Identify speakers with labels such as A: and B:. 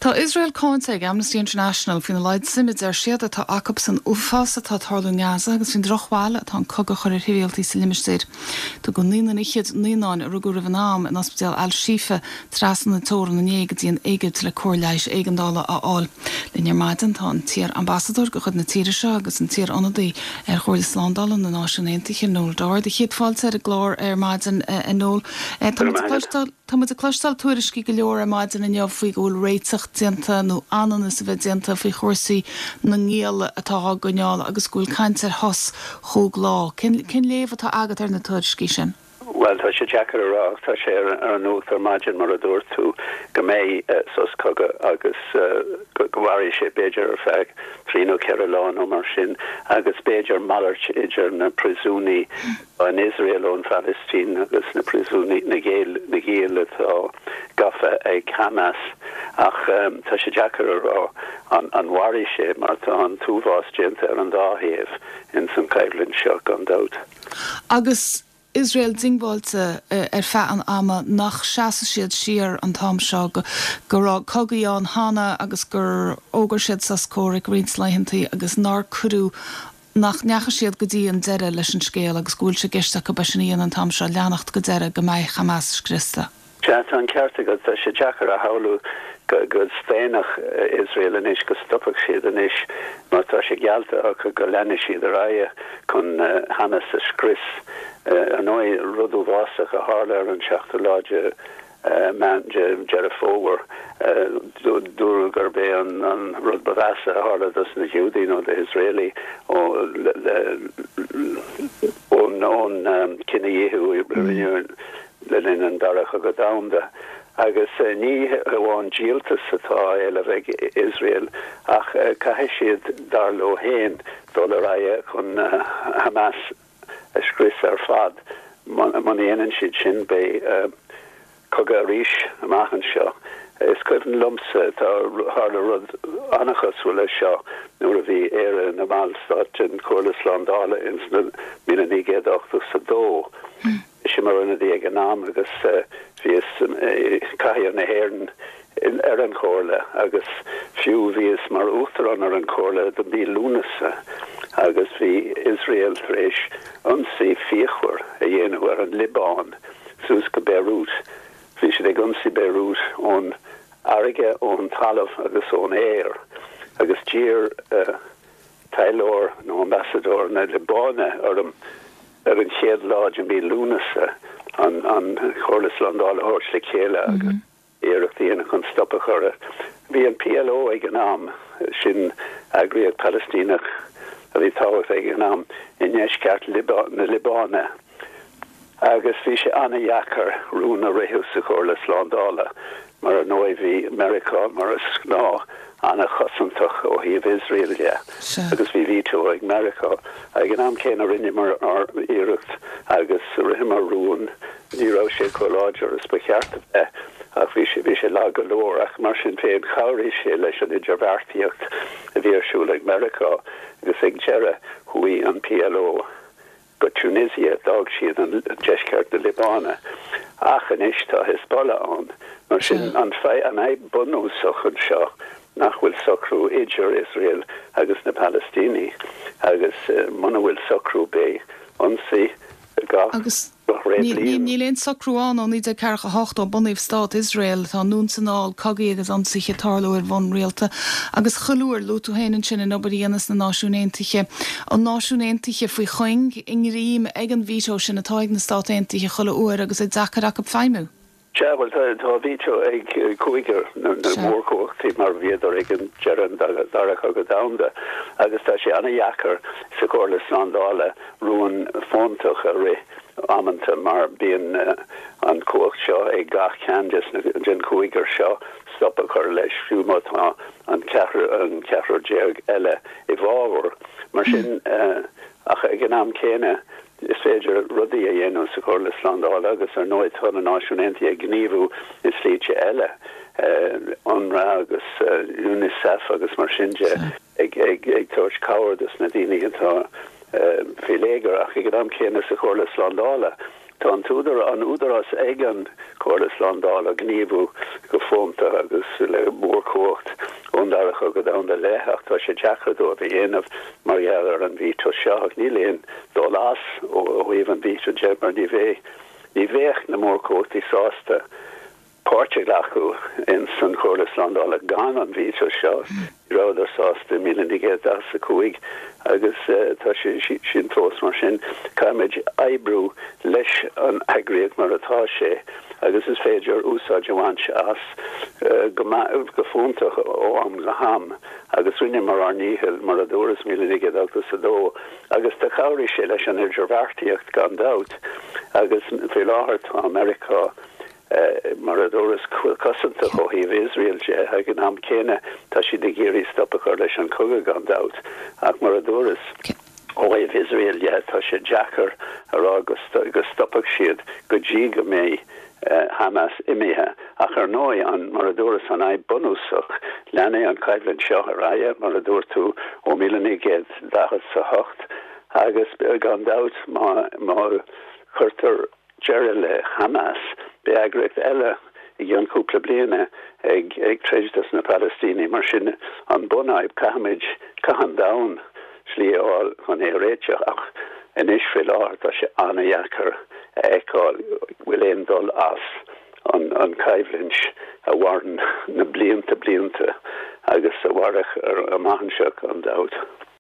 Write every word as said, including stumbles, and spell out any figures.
A: Tá Iosrael cáinte ag Amnesty International faoina laghad suime deir siad atá acu san uafás atá ag tarlú i nGaza agus faoin drochbhail atá an cogadh a chur ar shibhialtaigh sa limistéar. Tugadh naíonán fhichead naíonáin a rugadh roimh an am in ospidéal Al-Shifa trasna na teorann inné go dtí an Éigipt le cóir leighis éigeandála a fháil. Linn ar maidin tá an t-iar-ambasadóir de chuid na tíre seo agus an t-iar-ionadaí ar Chomhairle Slándála na Náisiún Aontaithe Noel Dorr. Céad fáilte ar an gclár ar maidin a Noel. Tá muid ag cloisteáil tuairiscí go leor ar maidin inniu faoi go bhfuil réiteach déanta nó ananas a bheith déanta faoi chúrsaí na ngiall atá á gcoinneáil agus go bhfuil caint ar shos chúig lá. Cén cén léamh atá agat ar na tuairiscí sin?
B: Well tá sé deacair a rá tá sé ar ar an nuacht ar maidin mar a dúirt tú go mbeidh uh, sos cogaidh agus uh, go go mhairfidh sé b'fhéidir ar feadh trí nó ceithre lá nó mar sin agus b'fhéidir malairt idir na príosúnaigh in Israel ón Palestine agus na príosúnaigh na giall na giall atá gafa ag Hamas ach um, tá sé deacair a rá an, an mhairfidh sé mar tá an t-uafás déanta ar an dá thaobh in san choimhlint seo gan dabht.
A: Agus Iosrael diongbháilte ar feadh an ama nach seasfaidh siad siar an t-am seo go go raibh cogaí ann cheana agus gur fhógair siad sos comhraic roinnt laethantaí agus nár cuireadh nach ndeachaigh siad go dtí an deireadh leis an scéal agus go bhfuil sé i gceist acu sin a dhéanamh an t-am seo leanacht go deireadh go mbeidh Hamas scriosta.
B: Sea tá an ceart agat tá sé deacair a shamhlú go go staonfadh Israel anois go stopfadh siad anois mar tá sé geallta acu go leanfaidh siad ar aghaidh chun uh, Hamas a scrios uh, an ndóigh rud uafásach a tharla ar an seachtú lá de uh, Meán Deireadh Fómhair uh, dúradh gurb é an, an rud ba mheasa a tharla dos na Giúdaigh nó do Israeli ó ón ón um, cinedhíothú mm. le linn an dara cogadh domhanda. agus uh, ní hamháin díoltas atá le bheith Israel ach uh, caithfidh siad dar leo féin dul ar aghaidh chun uh, Hamas a scrios ar fad muna ndéanann siad sin beidh uh, cogadh arís amach anseo. Is cuimhin liomsa tá tharla rud an-chosúil leis seo nuair a bhí Éire ina ballstát den Chomhairle Slándála in sna míle naoi gcéad ochtó a dó. Mm. Si mar ionadaí ag an am agus uh, bhíos uh, cathaoir na hÉireann ar an chomhairle agus fiú bhíos mar uachtarán ar an chomhairle do mhí Lúnasa agus bhí Israel tar éis ionsaí fíochmhar a dhéanamh ar an Liobáin suas go Beirut. Bhí siad ag ionsaí Beirut ón fharraige ón talamh agus ón aer agus d'iarr uh, taidhleoir nó ambassador na Liobáine orm ar an chéad lá de mhí Lúnasa an an Chomhairle Slándála a thabhairt le chéile agus mm -hmm. iarracht a dhéanamh chun stop a chur. Bhí an PLO ag an am sin eagraíocht Palaistíneach a bhí tábhachtach ag an am i ndeisceart na Liobáine. Agus bhí sé an-deacair rún a rith sa Chomhairle Slándála mar ar ndóigh bhí Meiriceá mar is gnáth an-chosantach ó thaobh Israel de agus bhí veto ag Meiriceá ag an am céanna rinneamar ár n-iarracht agus ritheamar rún ní raibh sé chomh láidir is ba cheart bheith ach bhí sé bhí sé lag go leor ach mar sin féin chabhraigh sé leis an idirbheartaíocht a bhí ar siúl ag Meiriceá agus ag deireadh chuaigh an PLO go Tunisia d'fhág siad an deisceart na Liobáine. Ach anois tá Hezbollah ann mar sin an an fhadhb bunúsach anseo nach bhfuil socrú idir Israel agus na Palestínigh agus uh, muna bhfuil socrú beidh ionsaí gach
A: agus Níl aon socrú ann ó naoi déag ceathracha hocht ó bunaíodh stát Israel tá anonn is anall cogaí agus ionsaithe ag tarlú ar bhonn rialta agus chuile uair luaigh tú féin ansin an obair a dhéanas na Náisiúin Aontaithe. An Náisiúin Aontaithe faoi chuing i ngreim ag an veto sin atá ag na Stáit Aontaithe chuile uair agus é deacair acu feidhmiú.
B: Sea well tá veto ag cúigear na mórchumhachtaí mar bhíodar ag an deireadh dara cogadh domhanda agus tá sé an-deacair sa Chomhairle Slándála rún fóntach a rith amanta mar bíonn uh, an cumhacht seo ag gach ceann den chúigear seo stop a chur leis fiú má tá an ceathrar an ceathrar déag eile i bhfabhar mar sin uh, ach ag an am céanna is féidir rudaí a dhéanamh sa Chomhairle Slándála agus ar ndóigh tá na Náisiúin Aontaithe ag gníomhú i slite eile uh, UNRWA agus uh, UNICEF agus mar sin de ag ag ag tabhairt cabhair dos na daoine atá uh, faoi léigear ach ag an am céanna sa Chomhairle Slándála. Tá an t-údar an údarás ag an Chomhairle Slándála gníomhú go fónta agus le mórchumhacht ón Dara Cogadh Domhanda i leith, ach tá sé deacair dóibh a dhéanamh mar gheall ar an veto seo. Ach níl aon dul as ó thaobh an veto de, mar ní bheidh ní bheadh na mórchumhachtaí sásta páirt a ghlacadh in san Chomhairle Slándála gan an veto seo. Ní rabhadar sásta i míle naoi gcéad daichead a cúig agus tá sé sin fós mar sin. Caithfimid oibriú leis an eagraíocht mar atá sé agus is féidir úsáid a bhaint as go go fóntach ó am go ham agus rinneamar ár ndícheall mar a dúras míle naoi gcéad ochtó a dó agus do chabhraigh sé leis an idirbheartaíocht gan dabht agus faoi láthair tá Meiriceá mar a dúras cosantach ó thaobh Iosrael de. Ag an am céanna tá siad ag iarraidh stop a chur leis an cogadh gan dabht, ach mar a dúras ó thaobh Iosrael de tá sé deacair a rá go stopfaidh siad go dtí go mbeidh Hamas imithe. Ach ar ndóigh an mar a dúras an fhadhb bunúsach leanfaidh an choimhlint seo ar aghaidh mar a dúirt tú ó míle naoi gcéad daichead a hocht agus gan dabht má má chuirtear deireadh le Hamas, beidh eagraíocht eile i gceann cúpla bliana ag ag troid dos na Palaistínigh. Mar sin an bunfhadhb, caithfimid, caithfidh an domhan slí a fháil chun é a réiteach ach anois faoi láthair tá sé an-dheacair a fheiceáil bhfuil aon dul as an an choimhlint a mhaireann na blianta blianta agus a mhairfidh amach anseo gan dabht.